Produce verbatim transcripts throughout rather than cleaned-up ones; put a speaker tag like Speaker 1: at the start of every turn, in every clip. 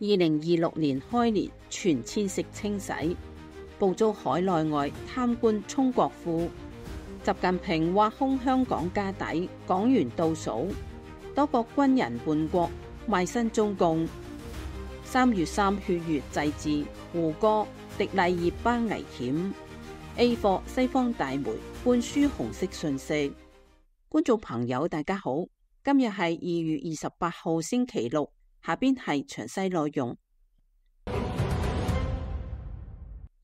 Speaker 1: 二零二六年開年全遷式清洗，捕捉海內外貪官充國庫。習近平挖空香港家底，港元倒數，多國軍人叛國，賣身中共。三月三血月祭祀，胡歌迪麗熱巴危險。A 貨西方大媒灌輸紅色訊息。觀眾朋友大家好，今日係二月二十八號星期六，下邊係詳細內容。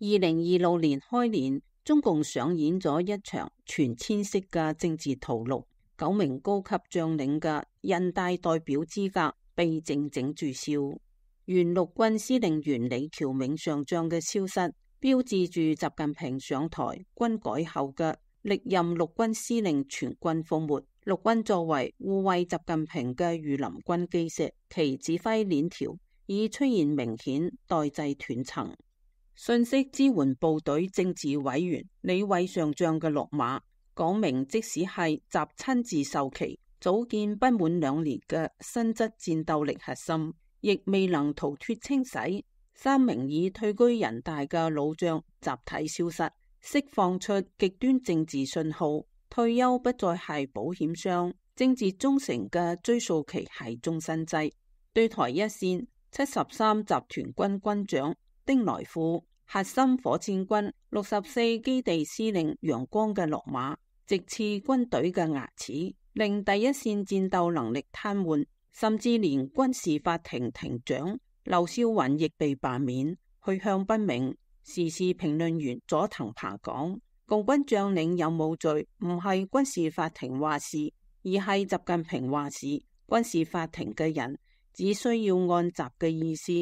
Speaker 1: 二零二六年開年，中共上演咗一場全遷式嘅政治屠戮，九名高級將領嘅人大代表資格被靜靜註銷。原陸軍司令員李橋銘上將嘅消失，標誌住習近平上台軍改後嘅歷任陸軍司令全軍覆沒。陸軍作為護衛習近平嘅御林軍基石，其指揮鏈條已出現明顯代際斷層。信息支援部隊政治委員李偉上將嘅落馬，講明即使係習親自授旗組建不滿兩年嘅新質戰鬥力核心，亦未能逃脫清洗。三名已退居人大嘅老將集體消失，釋放出極端政治信號。退休不再係保險箱，政治忠誠嘅追溯期係終身制。對台一線七十三集團軍軍長丁來富、核心火箭軍六十四基地司令楊光嘅落馬，直刺軍隊嘅牙齒，令第一線戰鬥能力癱瘓，甚至連軍事法庭庭長劉少雲亦被罷免，去向不明。時事評論員佐藤爬講，共軍將領有冇罪，唔係軍事法庭話事，而係習近平話事。軍事法庭嘅人只需要按習嘅意思，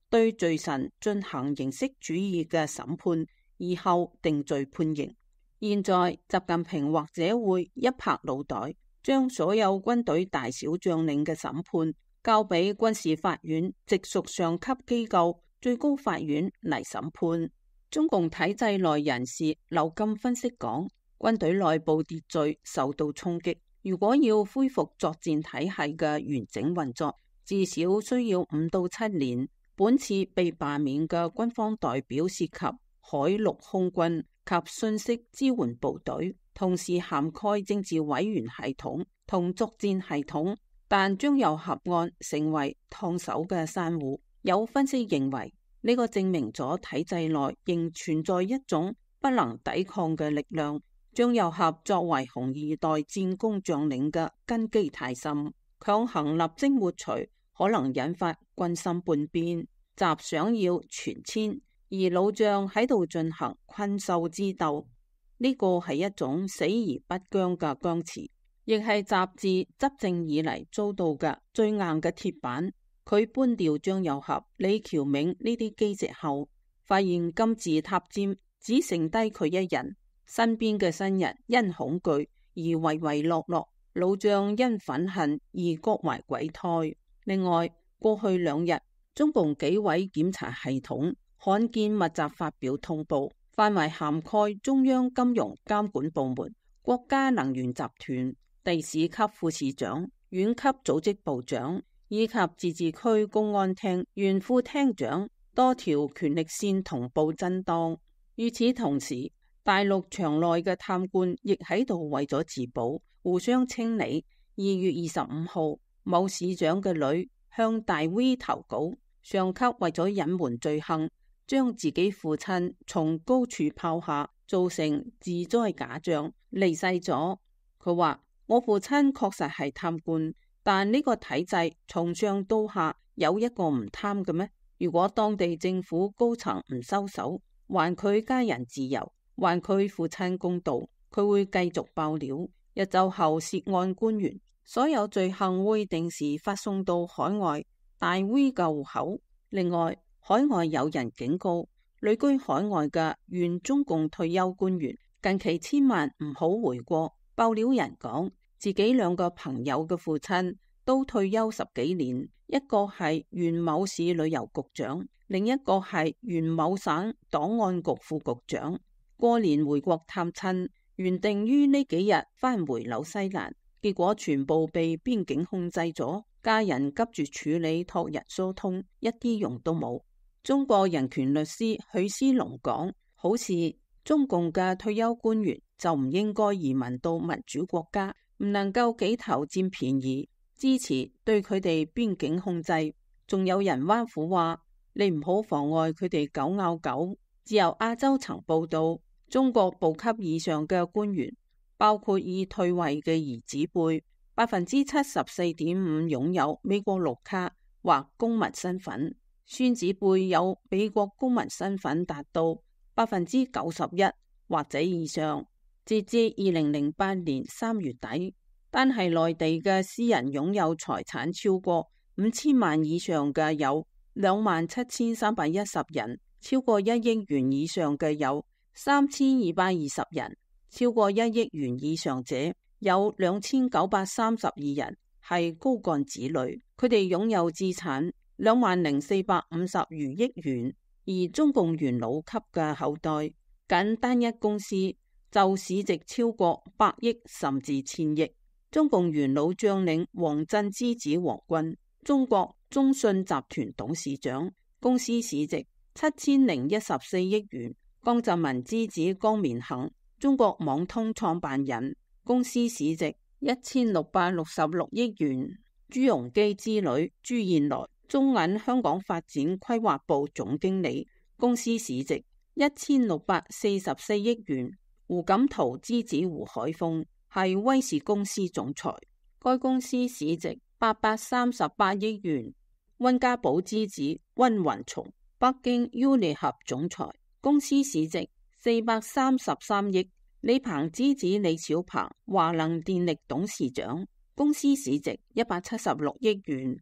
Speaker 1: 對罪臣進行形式主義嘅審判，以後定罪判刑。現在習近平或者會一拍腦袋，將所有軍隊大小將領嘅審判交俾軍事法院直屬上級機構最高法院嚟審判。中共體制內人士劉金分析講，軍隊內部秩序受到衝擊，如果要恢復作戰體系嘅完整運作，至少需要五到七年。本次被罷免嘅軍方代表涉及海陸空軍及信息支援部隊，同時涵蓋政治委員系統同作戰系統，但將由合案成為燙手嘅山芋。有分析認為，呢個證明咗體制內仍存在一種不能抵抗嘅力量。張又俠作為紅二代戰功將領嘅根基太深，強行立即抹除可能引發軍心叛變。習想要全遷，而老將喺度進行困獸之鬥，呢個係一種死而不僵嘅僵持，亦係習自執政以嚟遭到嘅最硬嘅鐵板。佢搬掉張又俠、李橋銘呢啲基石後，發現金字塔尖只剩低佢一人，身邊嘅新人因恐懼而唯唯諾諾，老將因憤恨而各懷鬼胎。另外，過去兩日，中共紀委檢查系統罕見密集發表通報，範圍涵蓋中央金融監管部門、國家能源集團、地市級副市長、縣級組織部長，以及自治區公安廳原副廳長，多條權力線同步震盪。與此同時，大陸場內嘅貪官亦喺度為咗自保，互相清理。二月二十五號，某市長嘅女向大 V 投稿，上級為咗隱瞞罪行，將自己父親從高處拋下，造成自災假象，離世咗。佢話：我父親確實係貪官。但呢個體制從上到下有一個唔貪嘅咩？如果當地政府高層唔收手，還佢家人自由，還佢父親公道，佢會繼續爆料。日就後涉案官員所有罪行會定時發送到海外大 V 嘅戶口。另外，海外有人警告旅居海外嘅原中共退休官員，近期千萬唔好回國。爆料人講，自己兩個朋友嘅父親都退休十幾年，一個係原某市旅遊局長，另一個係原某省檔案局副局長。過年回國探親，原定於呢幾日返回紐西蘭，結果全部被邊境控制咗。家人急住處理託人疏通，一啲用都冇。中國人權律師許思龍講，好似中共嘅退休官員就唔應該移民到民主國家，唔能夠幾頭佔便宜，支持對佢哋邊境控制。仲有人挖苦話，你唔好妨礙佢哋狗咬狗。自由亞洲曾報道，中國部級以上嘅官員，包括已退位嘅兒子輩，百分之七十四點五擁有美國綠卡或公民身份，孫子輩有美國公民身份達到百分之九十一或者以上。截至二零零八年三月底，單係內地嘅私人擁有財產超過五千萬以上嘅有兩萬七千三百一十人，超過一億元以上嘅有三千二百二十人，超過一億元以上者有兩千九百三十二人，係高幹子女，佢哋擁有資產兩萬零四百五十餘億元。而中共元老級嘅後代，僅單一公司就市值超過百億甚至千億。中共元老將領王震之子王軍，中國中信集團董事長，公司市值七千零一十四億元。江澤民之子江綿恒，中國網通創辦人，公司市值一千六百六十六億元。朱鎔基之女朱燕來，中銀香港發展規劃部總經理，公司市值一千六百四十四億元。胡錦濤之子胡海峰係威視公司總裁，該公司市值八百三十八億元。溫家寶之子溫雲松，北京 Unilever 總裁，公司市值四百三十三億。李鵬之子李小鵬，華能電力董事長，公司市值一百七十六億元。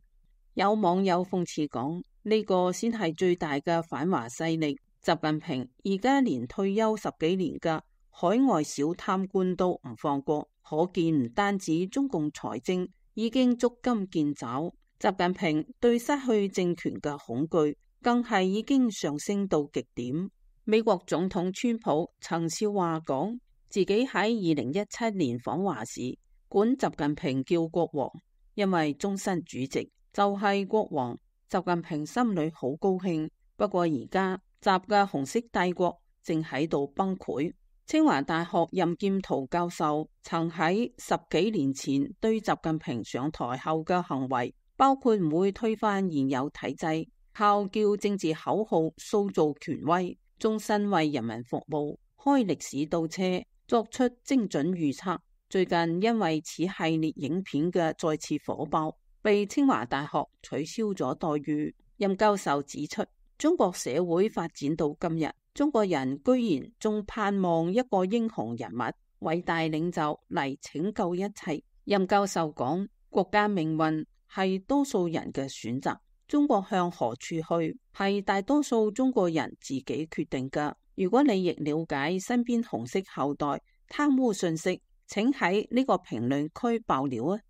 Speaker 1: 有網友諷刺講，呢個先係最大嘅反華勢力。習近平而家連退休十幾年嘅海外小貪官都唔放過，可見唔單止中共財政已經捉襟見肘，習近平對失去政權嘅恐懼更係已經上升到極點。美國總統川普曾笑話講，自己喺二零一七年訪華時，管習近平叫國王，因為終身主席就係國王。習近平心裏好高興。不過而家習嘅紅色帝國正喺度崩潰。清華大學任劍濤教授曾喺十幾年前對習近平上台後嘅行為，包括唔會推翻現有體制，靠叫政治口號塑造權威，終身為人民服務，開歷史倒車，作出精準預測。最近因為此系列影片嘅再次火爆，被清華大學取消咗待遇。任教授指出，中國社會發展到今日，中國人居然仲盼望一個英雄人物、偉大領袖嚟拯救一切。任教授講，國家命運係多數人嘅選擇，中國向何處去係大多數中國人自己決定㗎。如果你亦了解身邊紅色後代貪污信息，請喺呢個評論區爆料啊！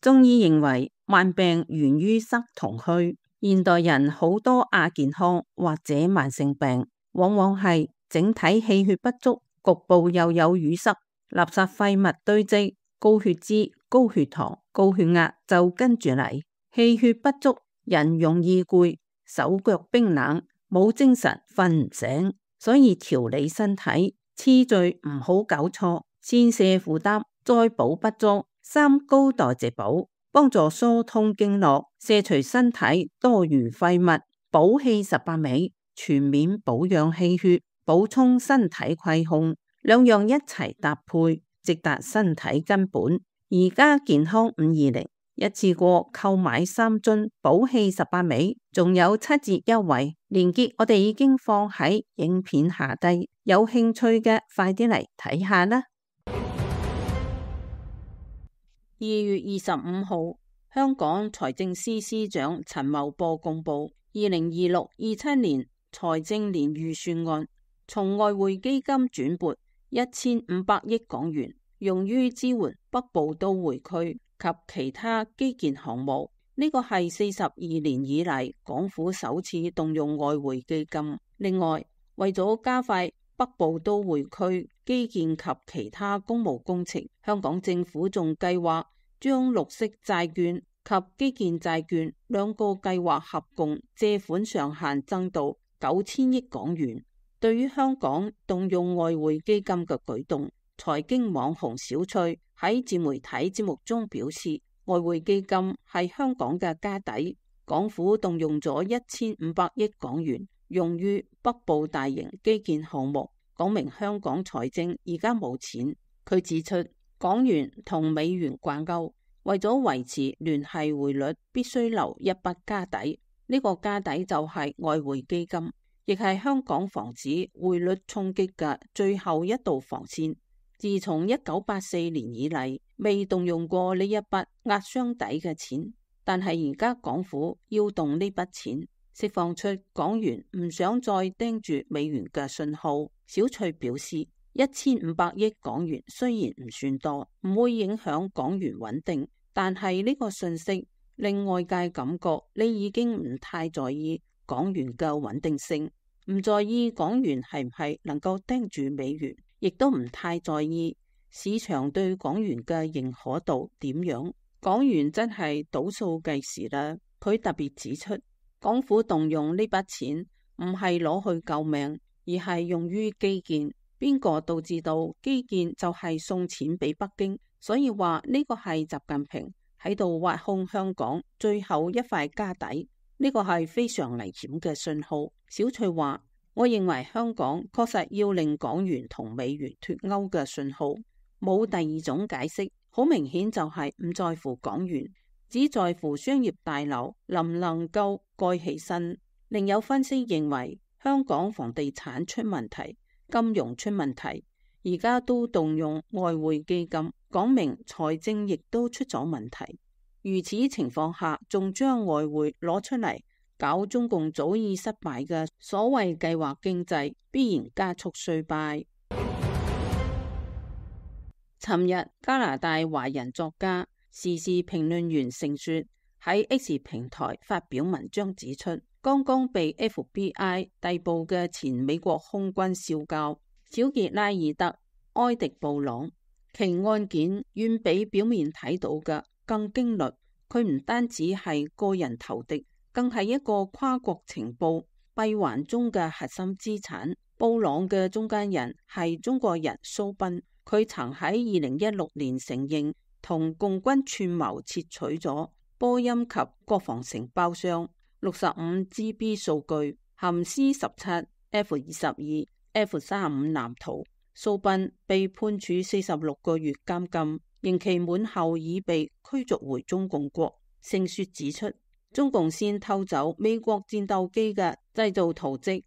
Speaker 1: 中醫認為慢病源於塞同虛，現代人好多亞健康或者慢性病，往往係整體氣血不足，局部又有淤塞，垃圾廢物堆積，高血脂、高血糖、高血壓就跟住嚟。氣血不足，人容易攰，手腳冰冷，冇精神，瞓唔醒。所以調理身體次序唔好搞錯，先瀉負擔，再補不足，三高代謝補，幫助疏通經絡，卸除身體多餘廢物，補氣十八味，全面保養氣血，補充身體虧空，兩樣一齊搭配，直達身體根本。而家健康五二零一次過購買三樽補氣十八味，仲有七折優惠，鏈接我哋已經放喺影片下低，有興趣嘅快啲嚟睇下啦。二月二十五號，香港財政司司長陳茂波公布二零二六二七年財政年預算案，從外匯基金轉撥一千五百億港元，用於支援北部都會區及其他基建項目。呢個係四十二年以嚟港府首次動用外匯基金。另外，為咗加快北部都會區基建及其他公務工程，香港政府仲計劃將綠色債券及基建債券兩個計劃合共借款上限增到九千億港元。對於香港動用外匯基金嘅舉動，財經網紅小翠喺自媒體節目中表示，外匯基金係香港嘅家底，港府動用咗一千五百億港元用於北部大型基建項目，講明香港財政而家冇錢。佢指出，港元同美元掛鈎，為咗維持聯繫匯率，必須留一筆家底，呢、這個家底就係外匯基金，亦係香港防止匯率衝擊嘅最後一道防線。自從一九八四年以嚟，未動用過呢一筆壓箱底嘅錢，但係而家港府要動呢筆錢，釋放出港元唔想再盯住美元嘅信號。小翠表示，一千五百億港元雖然唔算多，唔會影響港元穩定，但係呢個信息令外界感覺你已經唔太在意港元嘅穩定性，唔在意港元係唔係能夠盯住美元，亦都唔太在意市場對港元嘅認可度點樣。港元真係倒數計時啦。佢特別指出，港府動用呢筆錢唔係攞去救命，而係用於基建。邊個都知道基建就係送錢俾北京，所以話呢個係習近平喺度挖空香港最後一塊家底，呢個係非常危險嘅信號。小翠話，我認為香港確實要令港元同美元脫鈎嘅信號，冇第二種解釋，好明顯就係唔在乎港元，只在乎商業大樓能唔能夠蓋起身。另有分析認為，香港房地產出問題，金融出問題，而家都動用外匯基金，講明財政亦都出咗問題。如此情況下，仲將外匯攞出嚟搞中共早已失敗嘅所謂計劃經濟，必然加速衰敗。尋日，加拿大華人作家、時事評論員盛雪喺 X 平台發表文章指出，剛剛被 F B I 逮捕嘅前美國空軍少校小傑拉爾德埃迪布朗，其案件遠比表面睇到嘅更驚慄。佢唔單止係個人投敵，更係一個跨國情報閉環中嘅核心資產。布朗嘅中間人係中國人蘇斌，佢曾喺二零一六年承認同共軍串謀竊取咗波音及國防承包商六十五 G B 數據，含 C 十七、F 二十二、F 三十五藍圖。蘇斌被判處四十六個月監禁，刑期滿後已被驅逐回中共國。盛雪指出，中共先偷走美國戰鬥機嘅製造圖則，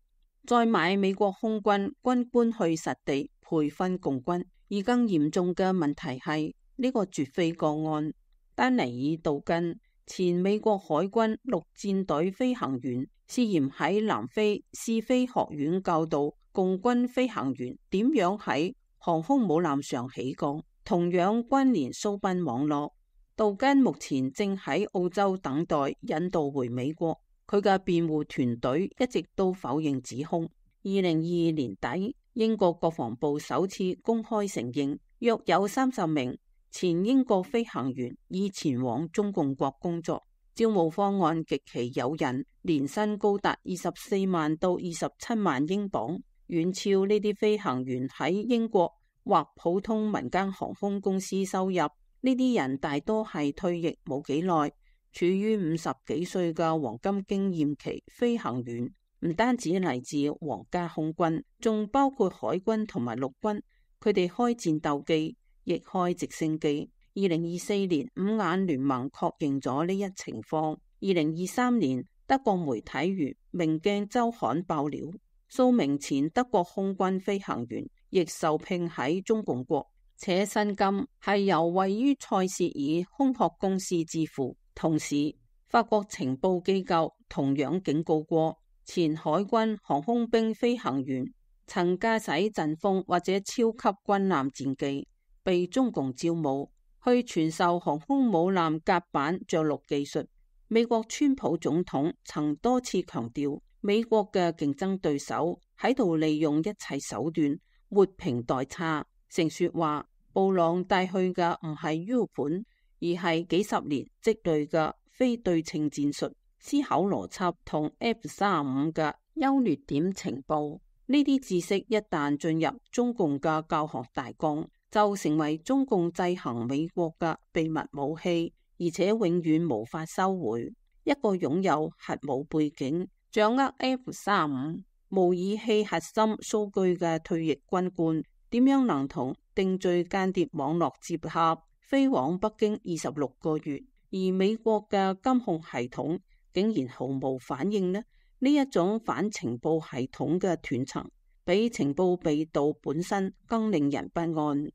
Speaker 1: 再買美國空軍軍官去實地培訓共軍。而更嚴重嘅問題係呢、這個絕非個案，丹尼爾杜根，前美國海軍陸戰隊飛行員，涉嫌喺南非試飛學院教導共軍飛行員點樣喺航空母艦上起降，同樣關聯蘇賓網絡。杜根目前正喺澳洲等待引渡回美國，佢嘅辯護團隊一直都否認指控。二零二二年底，英國國防部首次公開承認，約有三十名前英國飛行員已前往中共國工作，招募方案極其誘人，年薪高達二十四萬到二十七萬英鎊，遠超呢啲飛行員喺英國或普通民間航空公司收入。呢啲人大多係退役冇幾耐，處於五十幾歲嘅黃金經驗期飛行員，唔單止嚟自皇家空軍，仲包括海軍同埋陸軍。佢哋開戰鬥機，亦開直升機。二零二四年，五眼聯盟確認咗呢一情況。二零二三年，德國媒體如《明鏡週刊》爆料，數名前德國空軍飛行員亦受聘喺中共國，且薪金係由位於塞舌爾空殼公司支付。同時，法國情報機構同樣警告過，前海軍航空兵飛行員曾駕駛陣風或者超級軍艦戰機，被中共招募去傳授航空母艦甲板着陸技術。美國川普總統曾多次強調，美國嘅競爭對手喺度利用一切手段活平代差。盛雪話，布朗帶去嘅唔係 U 盤，而係幾十年積累嘅非對稱戰術、思考邏輯同 F 三十五嘅優劣點情報。呢啲知識一旦進入中共嘅教學大綱，就成為中共制衡美國嘅秘密武器，而且永遠無法收回。一個擁有核武背景、掌握 F 三十五模擬器核心數據嘅退役軍官，點樣能同定序間諜網絡接合，飛往北京二十六個月，而美國嘅監控系統竟然毫無反應呢？呢一種反情報系統嘅斷層，比情報被盜本身更令人不安。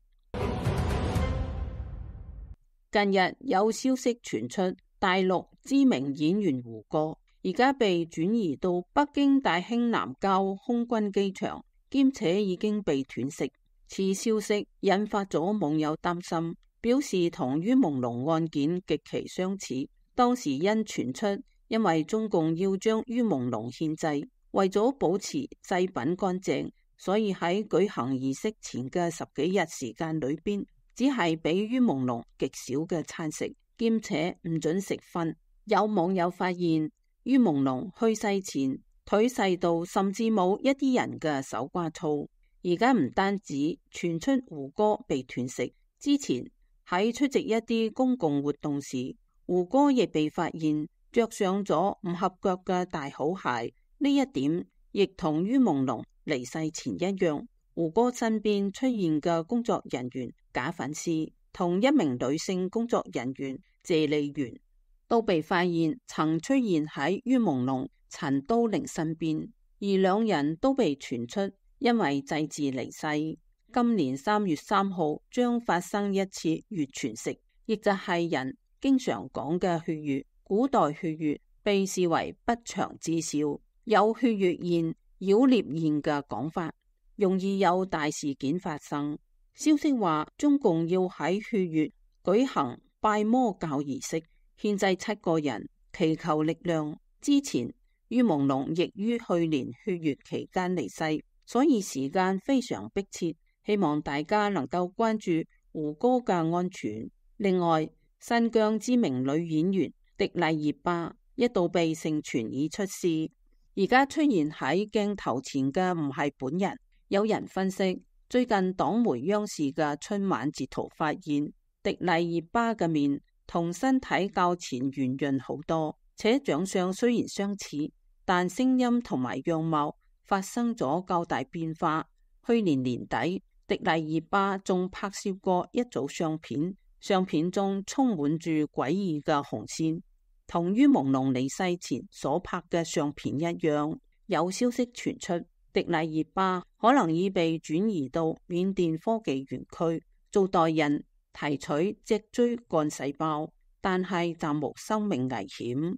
Speaker 1: 近日有消息傳出，大陸知名演員胡歌而家被轉移到北京大興南郊空軍機場，兼且已經被斷食。此消息引發咗網友擔心，表示同于朦朧案件極其相似。當時因傳出，因為中共要將于朦朧獻祭，為咗保持祭品乾淨，所以喺舉行儀式前嘅十幾日時間裏邊，只係俾于朦朧極少嘅餐食，兼且唔准食葷。有網友發現，于朦朧去世前腿細到甚至冇一啲人嘅手瓜粗。而家唔單止傳出胡歌被斷食，之前喺出席一啲公共活動時，胡歌亦被發現着上咗唔合腳嘅大好鞋。呢一點亦同于朦朧離世前一樣。胡歌身邊出現嘅工作人員賈粉絲同一名女性工作人員謝麗媛都被發現曾出現喺于朦朧陳都靈身邊，而兩人都被傳出因為祭祀離世。今年三月三號將發生一次月全食，亦就係人經常講嘅血月。古代血月被視為不祥之兆，有血月宴、妖孽宴嘅講法，容易有大事件發生。消息話中共要喺血月舉行拜魔教儀式，獻祭七個人，祈求力量。之前于朦朧亦於去年血月期間離世，所以時間非常迫切，希望大家能夠關注胡歌嘅安全。另外，新疆知名女演員迪麗熱巴一度被盛傳已出事，而家出現喺鏡頭前嘅唔係本人。有人分析，最近黨媒央視嘅春晚截圖發現，迪麗熱巴嘅面同身體較前圓潤好多，且長相雖然相似，但聲音同埋樣貌發生咗較大變化。去年年底，迪麗熱巴仲拍攝過一組相片，相片中充滿住詭異嘅紅線，同于朦朧離世前所拍嘅相片一樣。有消息傳出，迪麗熱巴可能已被轉移到緬甸科技園區做代孕，提取脊椎幹細胞，但係暫無生命危險。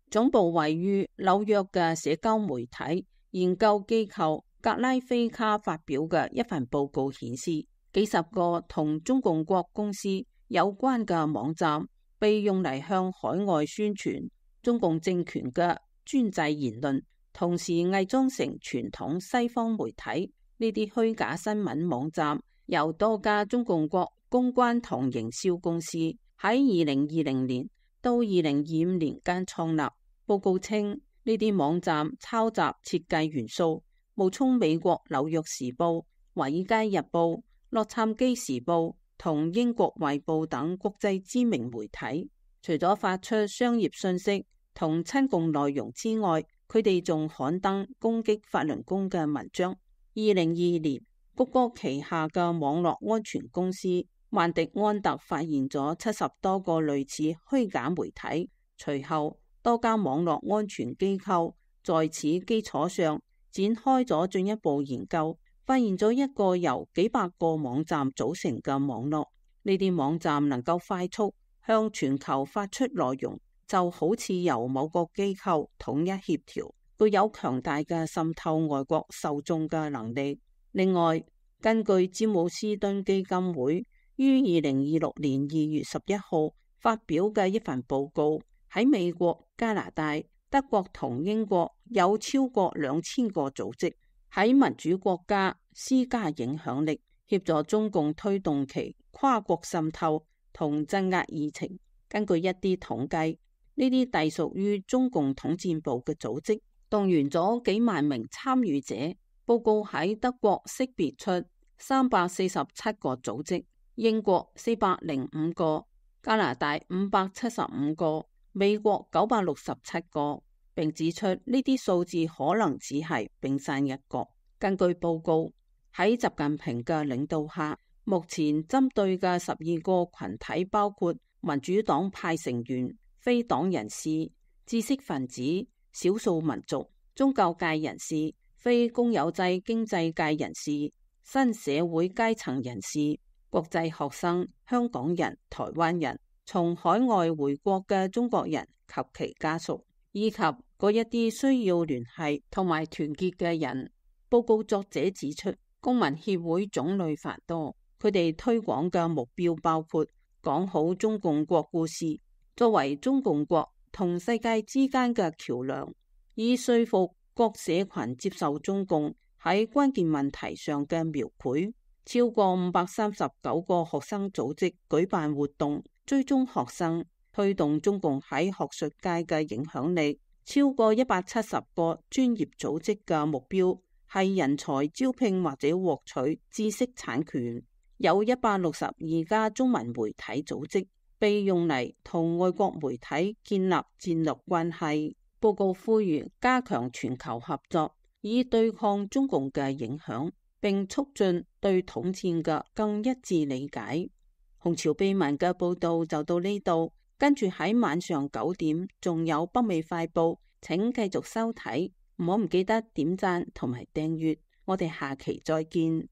Speaker 1: 總部位於紐約嘅社交媒體研究機構格拉菲卡發表嘅一份報告顯示，幾十個同中共國公司有關嘅網站被用嚟向海外宣傳中共政權嘅專制言論，同時偽裝成傳統西方媒體。呢啲虛假新聞網站由多家中共國公關同營銷公司喺二零二零年到二零二五年間創立。報告稱，呢啲網站抄襲設計元素，冒充美國紐約時報、華爾街日報、洛杉磯時報同英國衛報等國際知名媒體。除咗發出商業信息同親共內容之外，佢哋仲刊登攻擊法輪功嘅文章。二零二二年，谷歌旗下嘅網絡安全公司萬迪安特發現咗七十多個類似虛假媒體，隨後多家網絡安全機構在此基礎上展開咗進一步研究，發現咗一個由幾百個網站組成嘅網絡。呢啲網站能夠快速向全球發出內容，就好似由某個機構統一協調，具有強大嘅滲透外國受眾嘅能力。另外，根據詹姆斯敦基金會於二零二六年二月十一號發表嘅一份報告，喺美國、加拿大、德國同英國有超過兩千個組織喺民主國家施加影響力，協助中共推動其跨國滲透同鎮壓議程。根據一啲統計，呢啲隸屬於中共統戰部嘅組織動員咗幾萬名參與者。報告喺德國識別出三百四十七個組織，英國四百零五個，加拿大五百七十五個，美國九百六十七個，並指出呢啲數字可能只係冰山一角。根據報告，喺習近平嘅領導下，目前針對嘅十二個群體包括民主黨派成員、非黨人士、知識分子、少數民族、宗教界人士、非公有制經濟界人士、新社會階層人士、國際學生、香港人、台灣人、從海外回國嘅中國人及其家屬，以及嗰一啲需要聯繫同埋團結嘅人。報告作者指出，公民協會種類繁多，佢哋推廣嘅目標包括講好中共國故事，作為中共國同世界之間嘅橋樑，以說服各社群接受中共喺關鍵問題上嘅描繪。超過五百三十九個學生組織舉辦活動，追蹤學生，推動中共喺學術界嘅影響力。超過一百七十個專業組織嘅目標係人才招聘或者獲取知識產權。有一百六十二家中文媒體組織被用嚟同外國媒體建立戰略關係。報告呼籲加強全球合作，以對抗中共嘅影響，並促進對統戰嘅更一致理解。紅潮秘聞嘅報道就到呢度，跟住喺晚上九點仲有北美快報，請繼續收睇，唔好唔記得點讚同埋訂閱，我哋下期再見。